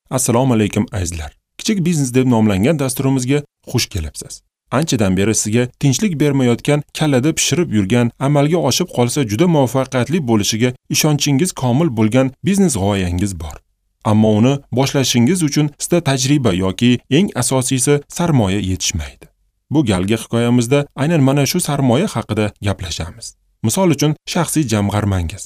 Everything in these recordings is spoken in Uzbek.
Assalomu alaykum azizlar. Kichik biznes deb nomlangan dasturimizga xush kelibsiz. Anchadan beri sizga tinchlik bermayotgan, kallada pishirib yurgan, amalga oshib qolsa juda muvaffaqiyatli bo'lishiga ishonchingiz komil bo'lgan biznes g'oyangiz bor. Ammo uni boshlashingiz uchun sizda tajriba yoki eng asosiysi sarmoya yetishmaydi. Bu galgi hikoyamizda aynan mana shu sarmoya haqida gaplashamiz. Misol uchun, shaxsiy jamg'armangiz.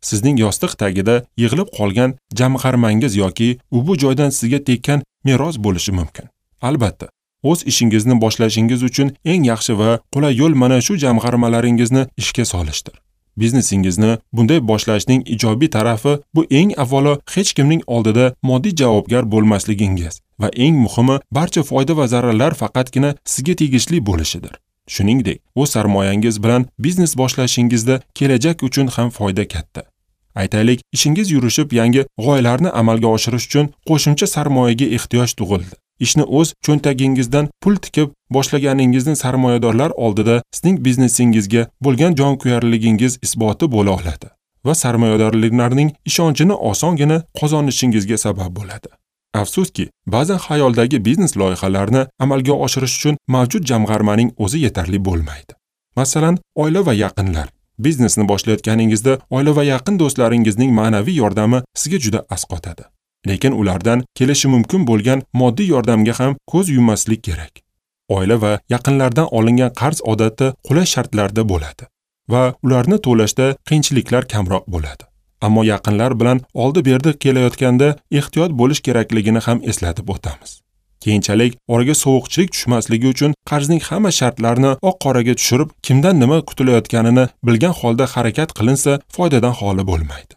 Sizning yostiq tagida yig'ilib qolgan jamg'armangiz yoki u bu joydan sizga tekkan meros bo'lishi mumkin. Albatta, o'z ishingizni boshlashingiz uchun eng yaxshi va qulay yo'l mana shu jamg'armalaringizni ishga solishdir. Biznesingizni bunday boshlashning ijobiy tarafi bu eng avvalo hech kimning oldida moddiy javobgar bo'lmasligingiz va eng muhimi barcha foyda va zararlar faqatgina sizga tegishli bo'lishidir. Shuningdek, o'z sarmoyangiz bilan biznes boshlashingizda kelajak uchun ham foyda katta. Aytaylik, ishingiz yurishib, yangi g'oyalarni amalga oshirish uchun qo'shimcha sarmoyaga ehtiyoj tug'ildi. Ishni o'z cho'ntagingizdan pul tikib boshlaganingizni sarmoyadorlar oldida sizning biznesingizga bo'lgan jonkuyarligingiz isboti bo'la oladi va sarmoyadorlarning ishonchini osongina qozonishingizga sabab bo'ladi. Afsuski, ba'zan xayoldagi biznes loyihalarini amalga oshirish uchun mavjud jamg'armaning o'zi yetarli bo'lmaydi. Masalan, oila va yaqinlar. Biznesni boshlayotganingizda oila va yaqin do'stlaringizning ma'naviy yordami sizga juda asqotadi. Lekin ulardan kelishi mumkin bo'lgan moddiy yordamga ham ko'z yummaslik kerak. Oila va yaqinlardan olingan qarz odatda qulay shartlarda bo'ladi va ularni to'lashda qiyinchiliklar kamroq bo'ladi. Ammo yaqinlar bilan oldi-berdi kelayotganda ehtiyot bo'lish kerakligini ham eslatib o'tamiz. Keyinchalik oraga sovuqchilik tushmasligi uchun qarzning hamma shartlarini oq-qoraga tushirib, kimdan nima kutilayotganini bilgan holda harakat qilinsa, foydadan xoli bo'lmaydi.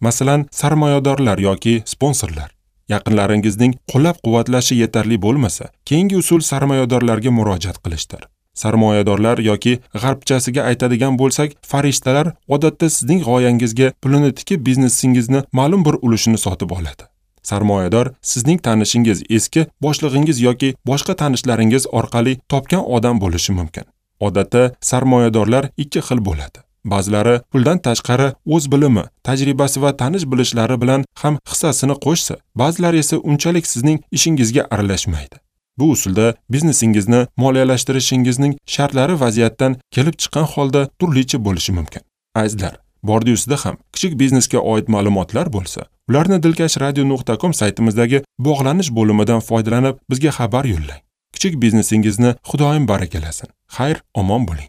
Masalan, sarmoyadorlar yoki sponsorlar. Yaqinlaringizning qo'llab-quvvatlashi yetarli bo'lmasa, keyingi usul sarmoyadorlarga murojaat qilishdir. Sarmoyadorlar yoki g'arbchasiga aytadigan bo'lsak, farishtalar odatda sizning g'oyangizga pulini tikib biznesingizni ma'lum bir ulushini sotib oladi. Sarmoyador sizning tanishingiz, eski boshlig'ingiz yoki boshqa tanishlaringiz orqali topgan odam bo'lishi mumkin. Odatda sarmoyadorlar ikki xil bo'ladi. Ba'zilari puldan tashqari o'z bilimi, tajribasi va tanish bilishlari bilan ham hissasini qo'shsa, ba'zilari esa unchalik sizning ishingizga aralashmaydi. Bu usulda biznesingizni moliyalashtirishingizning shartlari vaziyatdan kelib chiqqan holda turlicha bo'lishi mumkin. Azizlar, bordi-yusida ham kichik biznesga oid ma'lumotlar bo'lsa, ularni dilkashradio.com saytimizdagi bog'lanish bo'limidan foydalanib bizga xabar yo'llang. Kichik biznesingizni Xudoyim barakalasin. Xayr, omon bo'ling.